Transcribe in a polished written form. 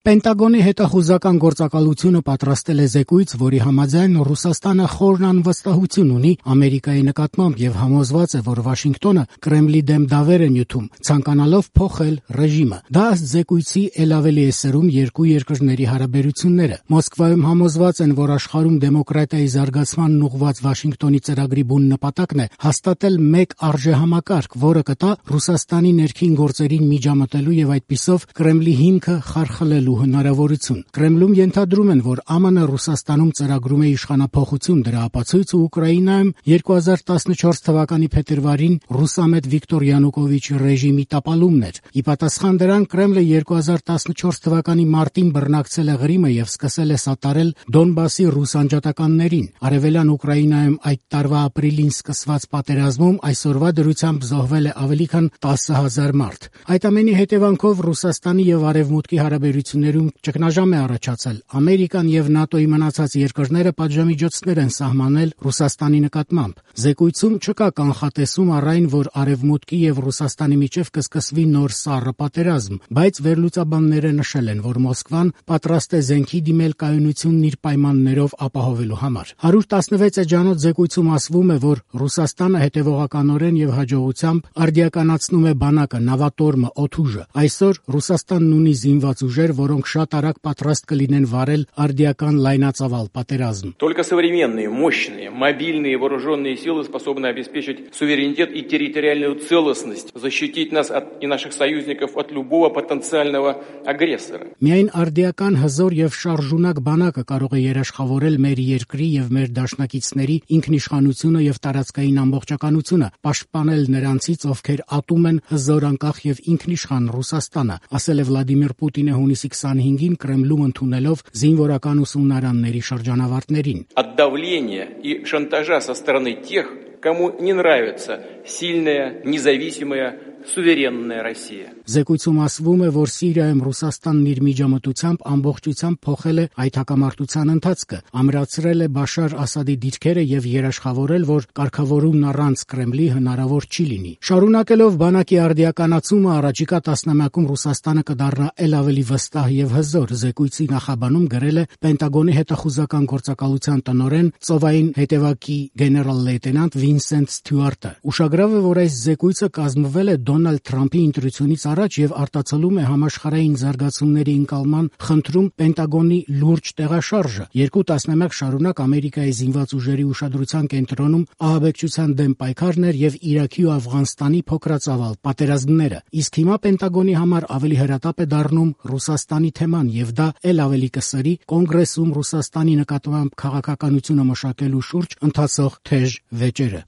Պենտագոնի հետախուզական գործակալությունը պատրաստել է զեկույց, որի համաձայն Ռուսաստանը խորն անվստահություն ունի Ամերիկայի նկատմամբ եւ համոզված է, որ Վաշինգտոնը Կրեմլի դեմ դավեր է նյութում, ցանկանալով փոխել ռեժիմը։ Դա ըստ զեկույցի էլ ավելի է սրում երկու երկրների հարաբերությունները։ Մոսկվայում համոզված են, որ աշխարհում դեմոկրատիայի զարգացմանն ուղղված Վաշինգտոնի ծրագրի բուն նպատակն է հաստատել մեկ արժեհամակարգ, որը կտա Ռուսաստանի ներքին գործերին միջամտելու եւ այդպիսով Կրեմլի հիմքը խարխլելու հնարավորություն։ Կրեմլում ենթադրում են, որ ԱՄՆ-ը Ռուսաստանում ծրագրում է իշխանափոխություն, դրա ապացույցը Ուկրաինայում 2014 թվականի փետրվարին ռուսամետ Վիկտոր Յանուկովիչի ռեժիմի տապալումն էր։ Ի պատասխան դրան Կրեմլը 2014 թվականի մարտին բռնակցել է Ղրիմը եւ սկսել է սատարել Դոնբասի ռուս անջատականներին։ Արևելյան Ուկրաինայում այդ տարվա ապրիլին սկսված պատերազմում այսօրվա դրությամբ զոհվել է ավելի քան 10,000 մարդ։ Այդ ամենի հետևանքով Ռուսաստանի եւ Արևմուտքի հարաբերություններում ճգնաժամ է առաջացել։ Ամերիկան եւ ՆԱՏՕ-ի մնացած երկրները պատժամիջոցներ են սահմանել Ռուսաստանի նկատմամբ։ Զեկույցում չկա կանխատեսում առ այն, որ Արևմուտքի եւ Ռուսաստանի միջև կսկսվի նոր սառը պատերազմ, բայց վերլուծաբանները նշել են, որ Մոսկվան պատրաստ է զենքի դիմել կայունությունն իր պայմաններով ապահովելու համար։ 116 էջանոց զեկույցում ասվում է, որ Ռուսաստանը հետևողականորեն եւ հաջողությամբ արդիականացնում է բանակը, նավատորմը, օդուժը։ Այսօր Ռուսաստանն ունի զինված ուժեր, որոնք շատ արագ պատրաստ կլինեն վարել արդիական լայնածավալ պատերազմ։ Только современные, мощные, мобильные вооруженные силы способны обеспечить суверенитет и территориальную целостность, защитить нас и наших союзников от любого потенциального агрессора. Միայն արդիական հզոր եւ շարժունակ բանակը կարող է երաշխավորել մեր երկրի եւ մեր դաշնակիցների ինքնիշխանությունը եւ տարածքային ամբողջականությունը, պաշտպանել նրանցից, ովքեր ատում են հզոր, անկախ եւ ինքնիշխան Ռուսաստանը, ասել է Վլադիմիր Պուտինը հունիսի 25-ին Կրեմլում ընդունելով զինվորական ուսումնարանների շրջանավարտներին։ От давления и шантажа со стороны тех, кому не нравится сильная, независимая, суверенная Россия. Զեկույցում ասվում է, որ Սիրիայում Ռուսաստանն իր միջամտությամբ ամբողջությամբ փոխել է այդ հակամարտության ընթացքը, ամրացրել է Բաշար Ասադի դիրքերը եւ երաշխավորել, որ կարգավորումն առանց Կրեմլի հնարավոր չի լինի։ Շարունակելով բանակի արդիականացումը առաջիկա տասնամյակում Ռուսաստանը կդառնա ել ավելի վստահ եւ հզոր, զեկույցի նախաբանում գրել է Պենտագոնի հետախուզական գործակալության տնօրեն ծովային հետևակի գեներալ-լեյտենանտ Վինսենտ Սթյուարտը։ Ուշագրավ է, որ այս զեկույցը կազմվել է Դոնալդ Թրամփի ընտրությունից առաջ եւ արտացոլում է համաշխարհային զարգացումների ընկալման խնդրում Պենտագոնի լուրջ տեղաշարժը։ Երկու տասնամյակ շարունակ Ամերիկայի զինված ուժերի ուշադրության կենտրոնում ահաբեկչության դեմ պայքարն էր եւ Իրաքի ու Աֆղանստանի փոքրածավալ պատերազմները։ Իսկ հիմա Պենտագոնի համար ավելի հրատապ է դառնում Ռուսաստանի թեման եւ դա ել ավելի կսրի կոնգրեսում Ռուսաստանի նկատմամբ քաղաքականությունը մշակելու շուրջ ընթացող թեժ վեճերը։